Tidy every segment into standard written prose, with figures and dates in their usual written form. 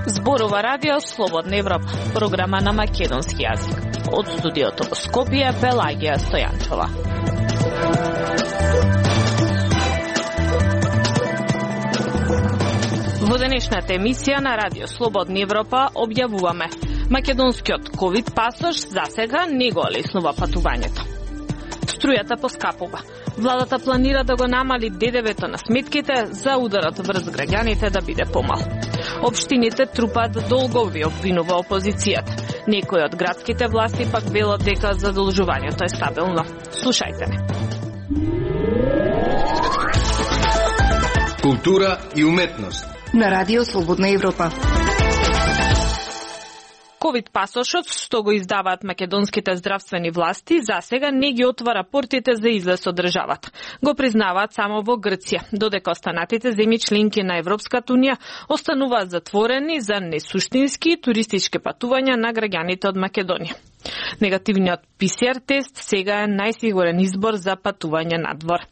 Зборува радио Слободна Европа, програма на македонски јазик. Од студиото во Скопје, Пелагија Стојанчова. Во денешната емисија на радио Слободна Европа објавуваме: македонскиот ковид пасош засега не го олеснува патувањето. Струјата поскапува. Владата планира да го намали ДДВ-то на сметките за ударот врз граѓаните да биде помал. Општините трупаат долгови, обвинува опозицијата. Некои од градските власти пак велат дека задолжувањето е стабилно. Слушајте не. Култура и уметност на радио Слободна Европа. Ковид пасошот, што го издаваат македонските здравствени власти, засега не ги отвара портите за излез од државата. Го признаваат само во Грција, додека останатите земји членки на Европската унија остануваат затворени за несуштински туристички патувања на граѓаните од Македонија. Негативниот ПСР тест сега е најсигурен избор за патување надвор.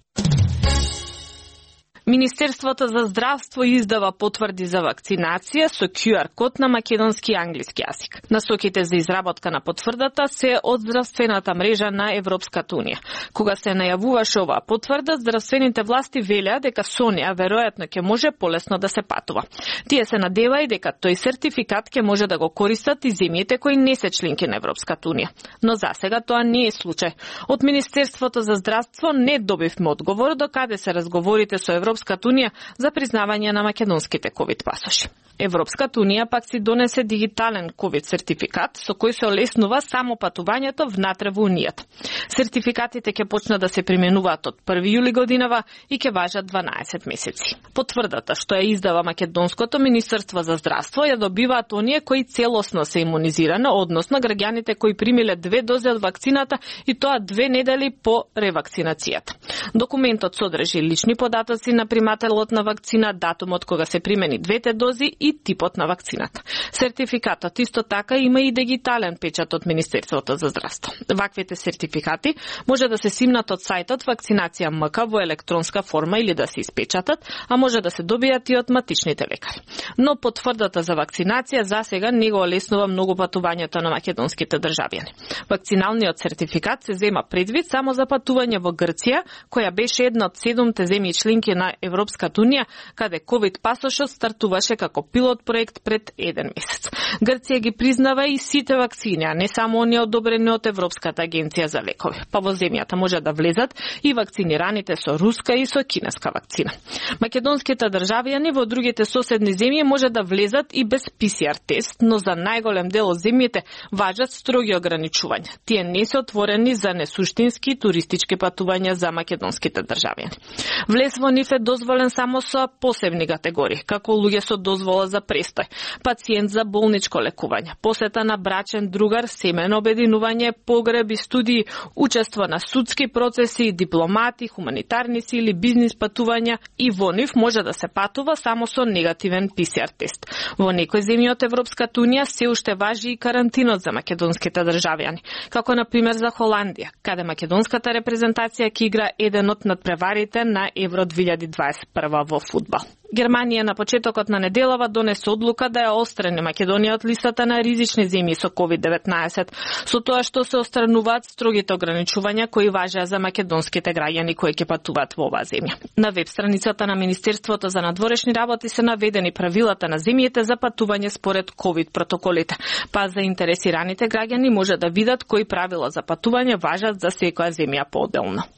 Министерството за здравство издава потврди за вакцинација со QR код на македонски и англиски јазик. Насоките за изработка на потврдата се од здравствената мрежа на Европската унија. Кога се најавуваше оваа потврда, здравствените власти велеа дека со неа веројатно ќе може полесно да се патува. Тие се надева и дека тој сертификат ќе може да го користат и земјите кои не се членки на Европската унија. Но засега тоа не е случај. Од Министерството за здравство не добивме одговор до каде се разговорите со Европската унија за признавање на македонските ковид пасоши. Европската унија пак си донесе дигитален ковид сертификат со кој се олеснува само патувањето внатре во унијата. Сертификатите ќе почнат да се применуваат од 1 јули годинава и ќе важат 12 месеци. Потврдата што ја издава македонското Министерство за здравство ја добиваат оние кои целосно се имунизирани, односно граѓаните кои примиле 2 дози од вакцината и тоа 2 недели по ревакцинацијата. Документот содржи лични податоци на примателот на вакцина, датумот кога се примени 2 дози и типот на вакцината. Сертификатот исто така има и дигитален печат од Министерството за здравство. Ваквите сертификати може да се симнат од сајтот Вакцинација МК во електронска форма или да се испечатат, а може да се добијат и од матичните лекари. Но потврдата за вакцинација засега не го олеснува многу патувањето на македонските државјани. Вакциналниот сертификат се зема предвид само за патување во Грција, која беше една од 7 земји членки на Европската унија, каде ковид пасошот стартуваше како пилот проект пред 1 месец. Грција ги признава и сите вакцини, а не само оние одобрени од Европската агенција за лекови. Па во земјата може да влезат и вакцинираните со руска и со кинеска вакцина. Македонските државјани во другите соседни земји може да влезат и без ПСР тест, но за најголем дел од земјите важат строги ограничувања. Тие не се отворени за несуштински туристички патувања за македонските државјани. Влез во нив е дозволен само со посебни категории, како луѓе со дозвола за престој, пациент за болничко лекување, посета на брачен другар, семено обединување, погреби, студии, учество на судски процеси, дипломати, хуманитарни сили, бизнис патувања и во нив може да се патува само со негативен ПСР тест. Во некои земји од Европската унија се уште важи и карантинот за македонските државјани, како на пример за Холандија, каде македонската репрезентација ќе игра еден од надпреварите на Евро 2021 во фудбал. Германија на почетокот на неделава донесе одлука да ја острани Македонија од листата на ризични земји со COVID-19, со тоа што се острануваат строгите ограничувања кои важеа за македонските граѓани кои ќе патуваат во оваа земја. На веб страницата на Министерството за надворешни работи се наведени правилата на земјите за патување според COVID протоколите, па заинтересираните граѓани може да видат кои правила за патување важат за секоја земја поотделно.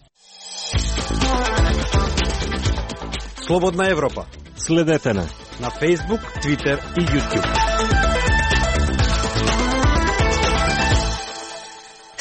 Слободна Европа. Следете на Facebook, Twitter и YouTube.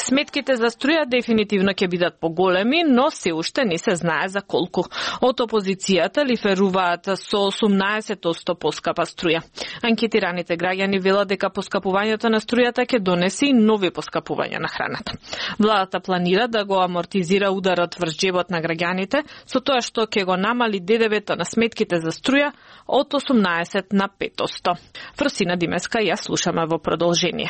Сметките за струја дефинитивно ќе бидат поголеми, но се уште не се знае за колку. Од опозицијата лиферуваат со 18% поскапа струја. Анкетираните граѓани велат дека поскапувањето на струјата ќе донесе и нови поскапувања на храната. Владата планира да го амортизира ударот врз џебот на граѓаните, со тоа што ќе го намали ДДВ-то на сметките за струја од 18 на 5%. Фросина Димеска ја слушаме во продолжение.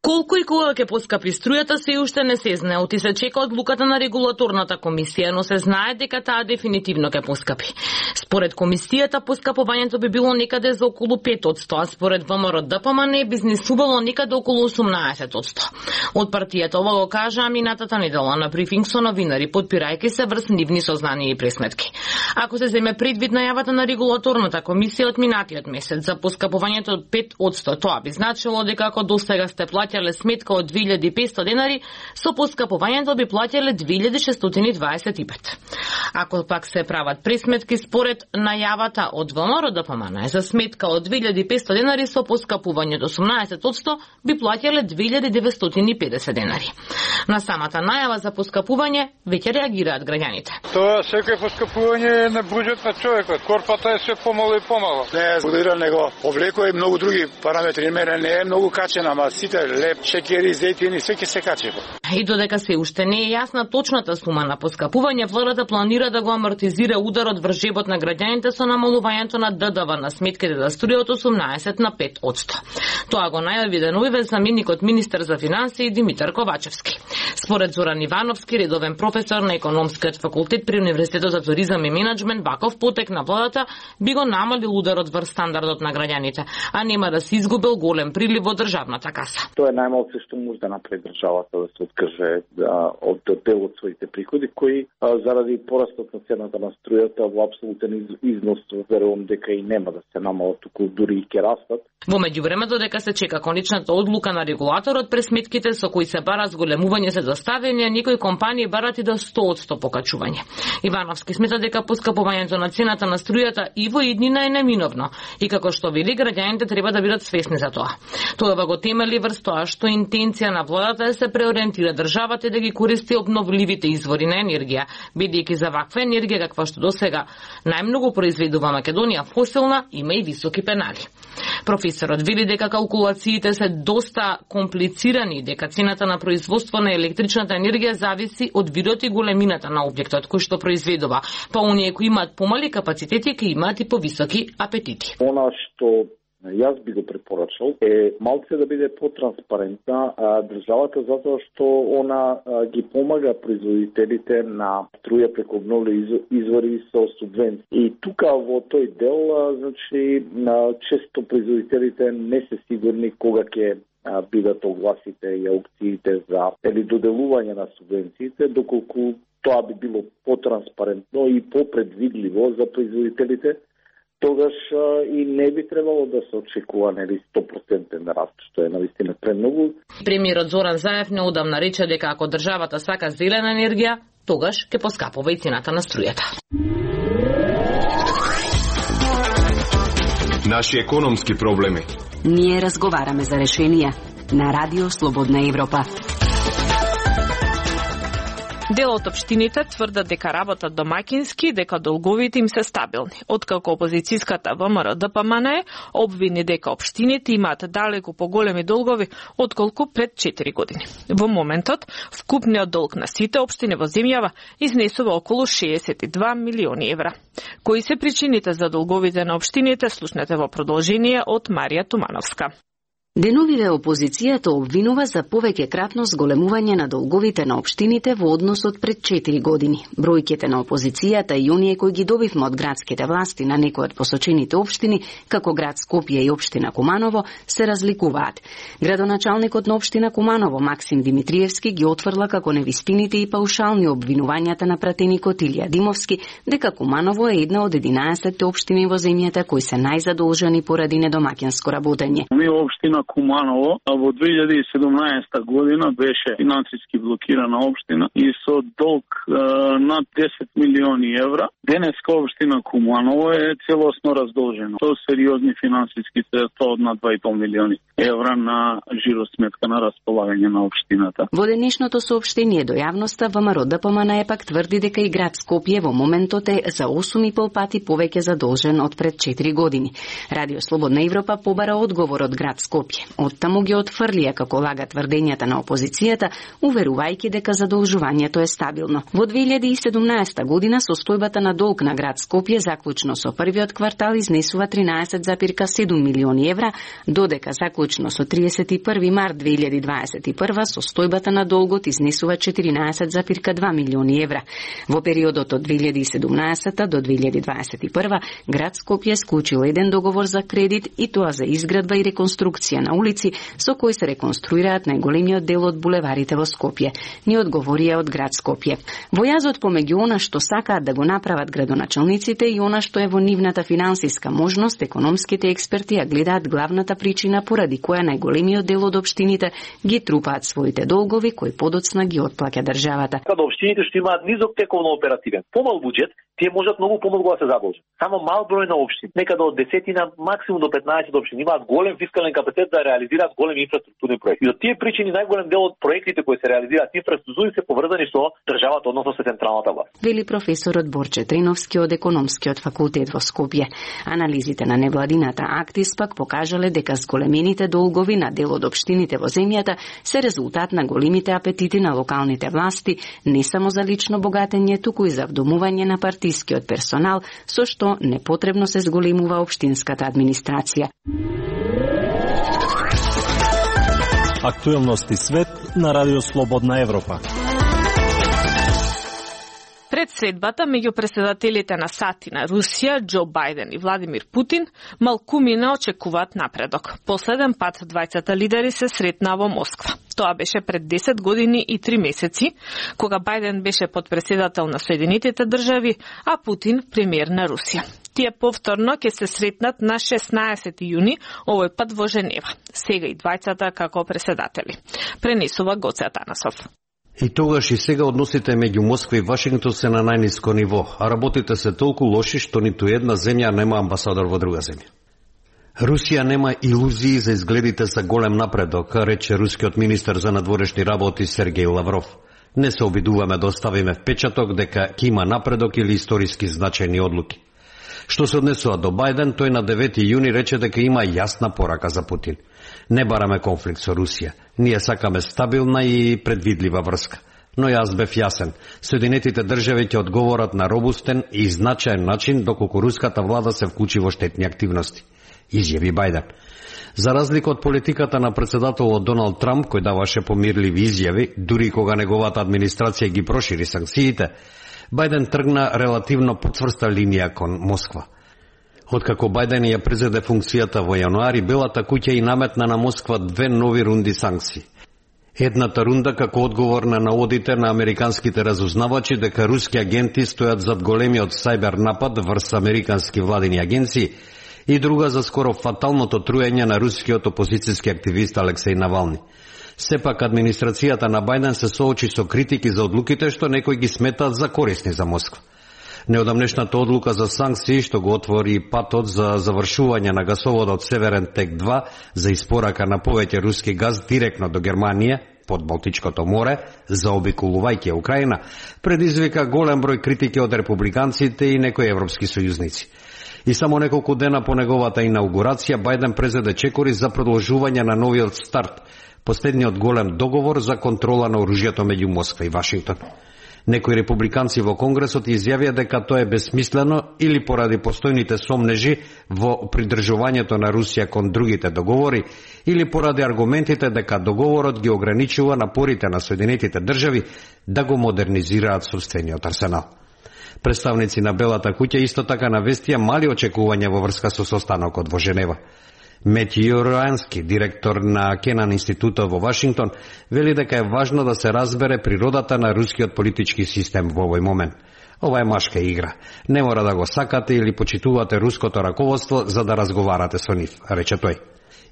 Колку и кога ќе поскапи струјата се уште не се знае, оти се чека одлуката на регулаторната комисија, но се знае дека таа дефинитивно ќе поскапи. Според комисијата поскапувањето би било некаде за околу 5%, а според ВМРО-ДПМН би изнесувало некаде околу 18%. Од партијата ова го кажа минатата недела на брифинг со новинари, подпирајќи се врз нивни сознанија и пресметки. Ако се земе предвид најавата на регулаторната комисија од минатиот месец за поскапувањето од 5%, тоа би значило дека ако досега сте плаќале сметка од 2500 денари, со поскапувањето би плаќале 2625. Ако пак се прават пресметки според најавата од ВМРО-ДПМН за сметка од 2500 денари со поскапување до 18%, би плаќале 2950 денари. На самата најава за поскапување веќе реагираат граѓаните. Тоа секој поскапување на буџет на човекот. Корпата е се помало и помало. Не е згодира него облекува и многу други параметри. Мене не е многу качена, ама сите леп, шекери, зејтини, све ќе се качи. И додека се уште не е јасна точната сума на поскапување, владата планира да го амортизира ударот врз жебот на граѓаните со намалувањето на ДДВ на сметките за струја од 18 на 5%. Тоа го најави деновиве заменикот министер за финансии Димитар Ковачевски. Според Зоран Ивановски, редовен професор на економскиот факултет при Универзитетот за туризам и менаџмент, ваков потек на владата би го намалил ударот врз стандардот на граѓаните, а нема да се изгубил голем прилив од државната каса. Тоа е најмалку што може да направи државата, да се откаже од дел од своите приходи, кои заради порастот на цената на струјата во апсолутен износ верувам дека и нема да се намалат, туку дури и ќе растат. Во меѓувреме, додека се чека конечната одлука на регулаторот, пресметките со кои се бара зголемување се доставени, а некои компании барат и до 100% покачување. Ивановски смета дека поскапувањето на цената на струјата и во иднина е неминовно и како што вели, граѓаните треба да бидат свесни за тоа. Тоа го темели врз тоа што интенција на владата е да се преориентира државата и да ги користи обновливите извори на енергија, бидејќи за ваква енергија каква што досега најмногу произведува Македонија фосилна, има и високи пенали. Професорот вели дека калкулациите се доста комплицирани, дека цената на производство на електричната енергија зависи од видот и големината на објектот кој што произведува, па оние кои имаат помали капацитети ќе имаат и повисоки апетити. Она што јас би го препорачал е малце да биде потранспарентна државата, затоа што она ги помага производителите на струја преку обновливи извори со субвенции. И тука во тој дел, значи, често производителите не се сигурни кога ќе бидат огласите и аукциите за доделување на субвенциите, доколку тоа би било потранспарентно и попредвидливо за производителите, тогаш и не би требало да се очекува 100% раст, што е навистина премногу. Премиерот Зоран Заев неодамна рече дека ако државата сака зелена енергија, тогаш ќе поскапува и цената на струјата. Наши економски проблеми. Ние разговараме за решенија на Радио Слободна Европа. Дел од општините тврдат дека работат домакински, дека долговите им се стабилни. Откако опозицијската ВМРО-ДПМН обвини дека општините имаат далеку поголеми долгови отколку пред 4 години. Во моментот, вкупниот долг на сите општини во земјава изнесува околу 62 милиони евра. Кои се причините за долговите на општините, слушнете во продолжение од Марија Тумановска. Деновиве опозицијата обвинува за повеќе кратно зголемување на долговите на општините во однос од пред 4 години. Бројките на опозицијата и оние кои ги добивме од градските власти на некои од посочените општини, како град Скопје и општина Куманово, се разликуваат. Градоначалникот на општина Куманово, Максим Димитриевски, ги отврла како невистините и паушални обвинувањата на пратеникот Илија Димовски, дека Куманово е една од 11 општини во земјата кои се најзадолжени поради недомаќинско работење. Куманово во 2017 година беше финансиски блокирана општина и со долг над 10 милиони евра. Денеска општина Куманово е целосно раздолжена со сериозни финансиски средства од над 2,5 милиони евра на жиросметка на располагање на општината. Во денешното соопштение до јавноста ВМРО-ДПМН пак тврди дека и град Скопје во моментот е за 8,5 пати повеќе задолжен од пред 4 години. Радио Слободна Европа побара одговор од град Скопје. веќе. Оттаму ги отфрлија како лага тврдењата на опозицијата, уверувајќи дека задолжувањето е стабилно. Во 2017 година состојбата на долг на град Скопје заклучно со првиот квартал изнесува 13,7 милиони евра, додека заклучно со 31 март 2021 состојбата на долгот изнесува 14,2 милиони евра. Во периодот од 2017 до 2021 град Скопје склучил еден договор за кредит и тоа за изградба и реконструкција на улици со кои се реконструираат најголемиот дел од булеварите во Скопје, ни одговорија од град Скопје. Во јазот помеѓу она што сакаат да го направат градоначалниците и она што е во нивната финансиска можност, економските експерти ја гледаат главната причина поради која најголемиот дел од општините ги трупаат своите долгови кои подоцна ги отплаќа државата. Каде општините што имаат низок тековно оперативен, помал буџет, тие можат многу помалку да се задолжат. Само мал број на општини, некаде од 10 максимум до 15 општини имаат голем фискален капацитет да реализираат големи инфраструктурни проекти. И од тие причини најголем дел од проектите кои се реализираат инфраструктури се поврзани со државата, односно со централната власт. Вели професорот Борче Триновски од економскиот факултет во Скопје. Анализите на невладината Актис пак покажале дека зголемените долгови на дел од општините во земјата се резултат на големите апетити на локалните власти, не само за лично богатење, туку и за вдомување на партискиот персонал, со што непотребно се зголемува општинската администрација. Актуелности свет на Радио Слободна Европа. Пред средбата меѓу претседателите на САД и на Русија, Џо Бајден и Владимир Путин, малкумина очекуваат напредок. Последен пат двајцата лидери се сретнаа во Москва. Тоа беше пред 10 години и 3 месеци, кога Бајден беше подпредседател на Соединетите држави, а Путин премиер на Русија. Тие повторно ќе се сретнат на 16 јуни, овој пат во Женева. Сега и двајцата како председатели. Пренесува Гоце Атанасов. И тогаш и сега односите меѓу Москва и Вашингтон се на најниско ниво, а работите се толку лоши што ниту една земја нема амбасадор во друга земја. Русија нема илузии за изгледите за голем напредок, рече рускиот министер за надворешни работи Сергеј Лавров. Не се обидуваме да оставиме впечаток дека ќе има напредок или историски значајни одлуки. Што се однесува до Бајден, тој на 9 јуни рече дека има јасна порака за Путин. Не бараме конфликт со Русија. Ние сакаме стабилна и предвидлива врска. Но јас бев јасен. Соединетите држави ќе одговорат на робустен и значаен начин доколку руската влада се вклучи во штетни активности, изјави Бајден. За разлика од политиката на председателот Доналд Трамп, кој даваше помирливи изјави, дури кога неговата администрација ги прошири санкциите, Бајден тргна релативно потврста линија кон Москва. Откако Бајден ја презеде функцијата во јануари, Белата куќа и наметна на Москва 2 нови рунди санкции. Едната рунда како одговор на наводите на американските разузнавачи дека руски агенти стојат зад големиот сајбер напад врз американски владини агенции и друга за скоро фаталното труење на рускиот опозицијски активист Алексеј Навални. Сепак администрацијата на Бајден се соочи со критики за одлуките што некои ги сметаат за корисни за Москва. Неодамнешната одлука за санкции што го отвори патот за завршување на гасоводот Северен Тек 2 за испорака на повеќе руски газ директно до Германија под Балтичкото море, заобиколувајќи Украина, предизвика голем број критики од републиканците и некои европски сојузници. И само неколку дена по неговата инаугурација Бајден презеде чекори за продолжување на новиот старт, последниот голем договор за контрола на оружјето меѓу Москва и Вашингтон. Некои републиканци во Конгресот изјавија дека тоа е бесмислено или поради постојните сомнежи во придржувањето на Русија кон другите договори, или поради аргументите дека договорот ги ограничува напорите на Соединетите држави да го модернизираат собствениот арсенал. Представници на Белата куќа исто така навестија мали очекувања во врска со состанокот во Женева. Метју Роански, директор на Кенан институтот во Вашингтон, вели дека е важно да се разбере природата на рускиот политички систем во овој момент. Ова е машка игра. Не мора да го сакате или почитувате руското раководство за да разговарате со нив, рече тој.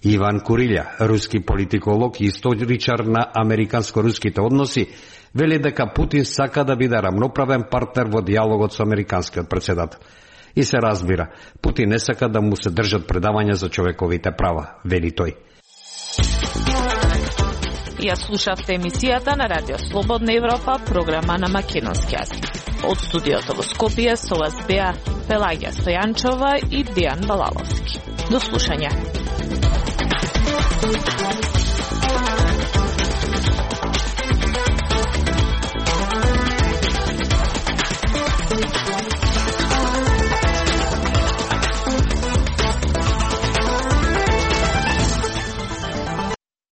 Иван Курилја, руски политиколог и историчар на американско-руските односи, вели дека Путин сака да биде рамноправен партнер во диалогот со американскиот председател. И се разбира, Путин не сака да му се држат предавања за човековите права, вели тој. Ја слушавте емисијата на Радио Слободна Европа, програма на македонски јазик. Од студиото во Скопје со вас беа Пелагија Стојанчова и Дејан Балаловски. До слушање.